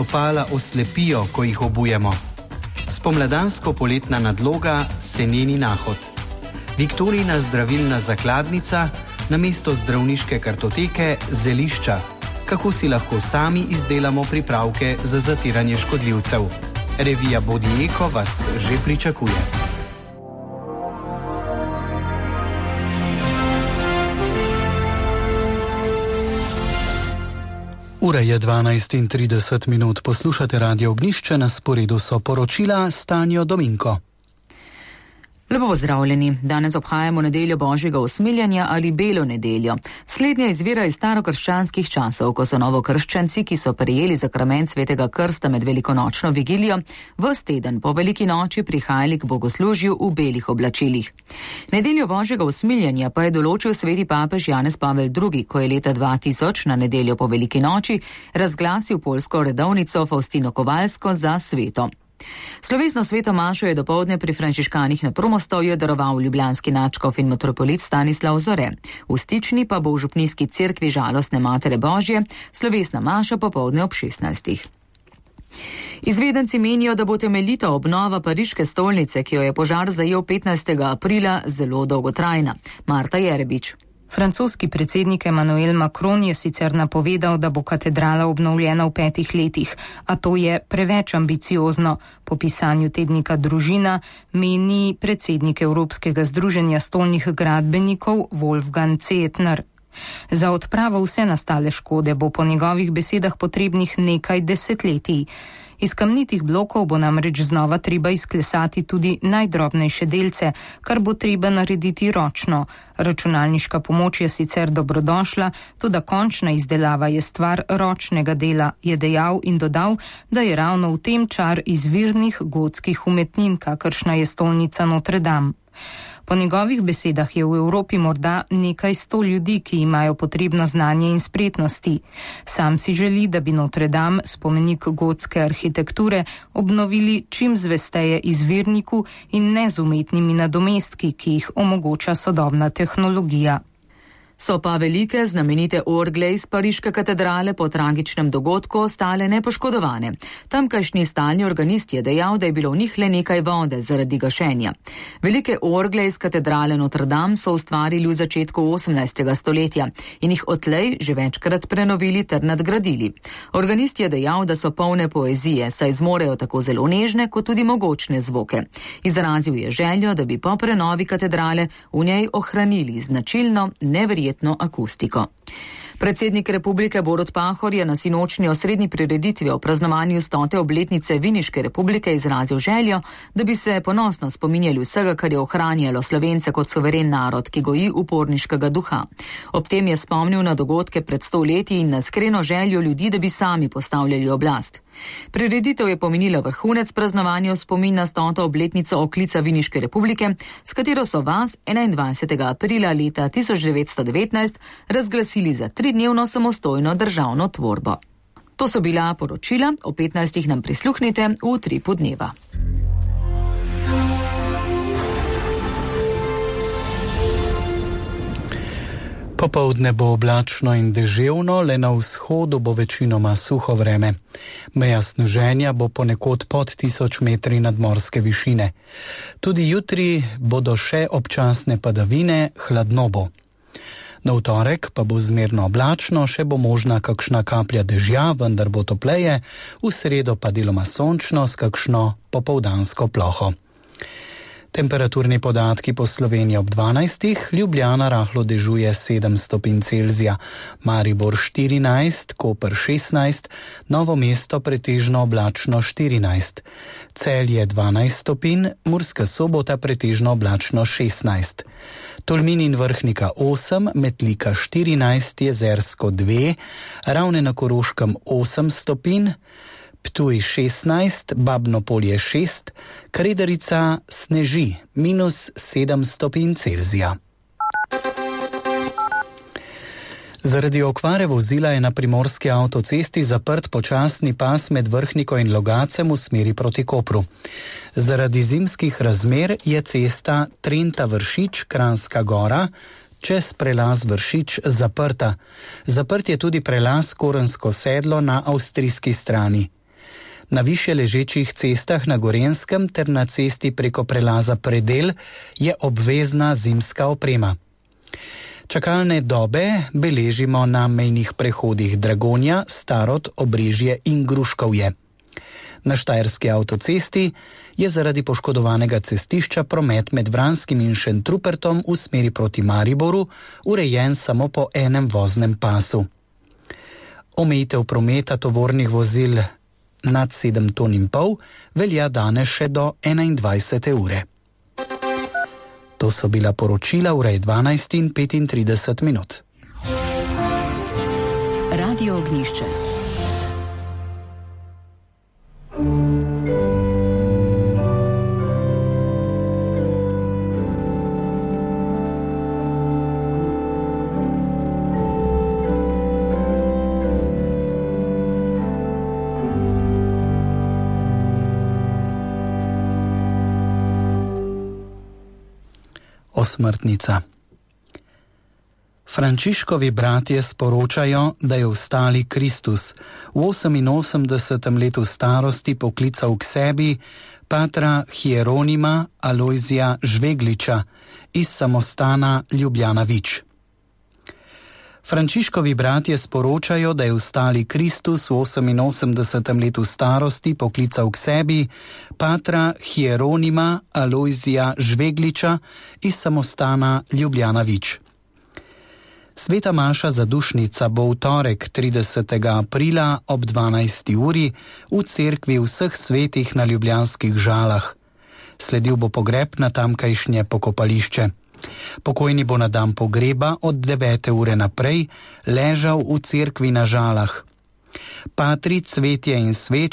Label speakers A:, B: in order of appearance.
A: Stopala oslepijo, ko jih obujemo. Spomladansko-poletna nadloga, seneni nahod. Viktorijina zdravilna zakladnica, namesto zdravniške kartoteke zelišča. Kako si lahko sami izdelamo pripravke za zatiranje škodljivcev. Revija Bodi Eko vas že pričakuje. Ura je 12:30, poslušate Radio Ognjišče, na sporedu so poročila s Tanjo Dominko.
B: Lepo pozdravljeni. Danes obhajamo nedeljo Božjega usmiljanja ali Belo nedeljo. Slednja izvira iz starokrščanskih časov, ko so novokrščanci, ki so prejeli zakrament svetega krsta med velikonočno vigilijo, ves teden po veliki noči prihajali k bogoslužju v belih oblačilih. Nedeljo Božjega usmiljanja pa je določil sveti papež Janez Pavel II, ko je leta 2000 na nedeljo po veliki noči razglasil poljsko redovnico Faustino Kovalsko za sveto. Slovesno sveto mašo je dopoldne pri frančiškanih na Tromostovju daroval ljubljanski nadškof in metropolit Stanislav Zore. V Stični pa bo v župnijski cerkvi Žalostne Matere Božje slovesna maša popoldne ob 16. Izvedenci menijo, da bo temeljita obnova pariške stolnice, ki jo je požar zajel 15. aprila, zelo dolgotrajna. Marta Jerebič.
C: Francoski predsednik Emmanuel Macron je sicer napovedal, da bo katedrala obnovljena v 5 letih, a to je preveč ambiciozno. Po pisanju tednika Družina meni predsednik Evropskega združenja stolnih gradbenikov Wolfgang Zehetner. Za odpravo vse nastale škode bo po njegovih besedah potrebnih nekaj desetletij. Iz kamnitih blokov bo namreč znova treba izklesati tudi najdrobnejše delce, kar bo treba narediti ročno. Računalniška pomoč je sicer dobrodošla, toda končna izdelava je stvar ročnega dela, je dejal in dodal, da je ravno v tem čar izvirnih gotskih umetnin, kakršna je stolnica Notre Dame. Po njegovih besedah je v Evropi morda nekaj 100 ljudi, ki imajo potrebno znanje in spretnosti. Sam si želi, da bi Notre Dame, spomenik gotske arhitekture, obnovili čim zvesteje izvirniku in ne z umetnimi nadomestki, ki jih omogoča sodobna tehnologija.
B: So pa velike znamenite orgle iz pariške katedrale po tragičnem dogodku ostale nepoškodovane. Tamkajšnji stalni organist je dejal, da je bilo v njih le nekaj vode zaradi gašenja. Velike orgle iz katedrale Notre Dame so ustvarili v začetku 18. stoletja in jih odtlej že večkrat prenovili ter nadgradili. Organist je dejal, da so polne poezije, saj zmorejo tako zelo nežne kot tudi mogočne zvoke. Izrazil je željo, da bi po prenovi katedrale v njej ohranili značilno, neverjetno akustiko. Predsednik republike Borut Pahor je na sinočnji osrednji prireditvi o praznovanju 100. obletnice Viniške republike izrazil željo, da bi se ponosno spominjali vsega, kar je ohranjalo Slovence kot suveren narod, ki goji uporniškega duha. Ob tem je spomnil na dogodke pred 100 leti in na iskreno željo ljudi, da bi sami postavljali oblast. Prireditev je pomenila vrhunec praznovanja v spomin na 100. obletnico oklica Viniške republike, s katero so vas 21. aprila leta 1919 razglasili za 3-dnevno samostojno državno tvorbo. To so bila poročila, o 15. nam prisluhnite v Utripu dneva.
A: Popoldne bo oblačno in deževno, le na vzhodu bo večinoma suho vreme. Meja sneženja bo ponekod pod 1000 metri nadmorske višine. Tudi jutri bodo še občasne padavine, hladno bo. Na torek pa bo zmerno oblačno, še bo možna kakšna kaplja dežja, vendar bo topleje, v sredo pa deloma sončno s kakšno popoldansko ploho. Temperaturni podatki po Sloveniji ob 12. Ljubljana rahlo dežuje 7 stopinj Celzija, Maribor 14, Koper 16, Novo mesto pretežno oblačno 14, Celje 12 stopinj, Murska Sobota pretežno oblačno 16, Tolmin in Vrhnika 8, Metlika 14, Jezersko 2, Ravne na Koroškem 8 stopinj, Ptuj 16, Babno Polje 6, Kredarica sneži -7 stopinj Celzija. Zaradi okvare vozila je na primorski avtocesti zaprt počasni pas med Vrhniko in Logacem v smeri proti Kopru. Zaradi zimskih razmer je cesta Trenta-Vršič, Kranjska Gora, čez prelaz Vršič zaprta. Zaprt je tudi prelaz Korensko sedlo na avstrijski strani. Na više ležečih cestah na Gorenjskem ter na cesti preko prelaza Predel je obvezna zimska oprema. Čakalne dobe beležimo na mejnih prehodih Dragonja, Starod, Obrežje in Gruškovje. Na Štajerski avtocesti je zaradi poškodovanega cestišča promet med Vranskim in Šentrupertom v smeri proti Mariboru urejen samo po enem voznem pasu. Omejitev prometa tovornih vozil nad 7,5 ton velja danes še do 21. ure. To so bila poročila ure 12:35.
B: Radio Ognjišče.
A: Osmrtnica. Frančiškovi bratje sporočajo, da je vstali Kristus v 88. letu starosti poklical k sebi patra Hieronima Alojzija Žvegliča iz samostana Ljubljana Vič. Frančiškovi bratje sporočajo, da je vstali Kristus v 88. letu starosti poklical k sebi patra Hieronima Alojzija Žvegliča iz samostana Ljubljana Vič. Sveta maša zadušnica bo v torek 30. aprila ob 12. uri v cerkvi vseh svetih na Ljubljanskih Žalah. Sledil bo pogreb na tamkajšnje pokopališče. Pokojni bo na dan pogreba od 9. ure naprej ležal v cerkvi na Žalah. Patri, cvetje in sveče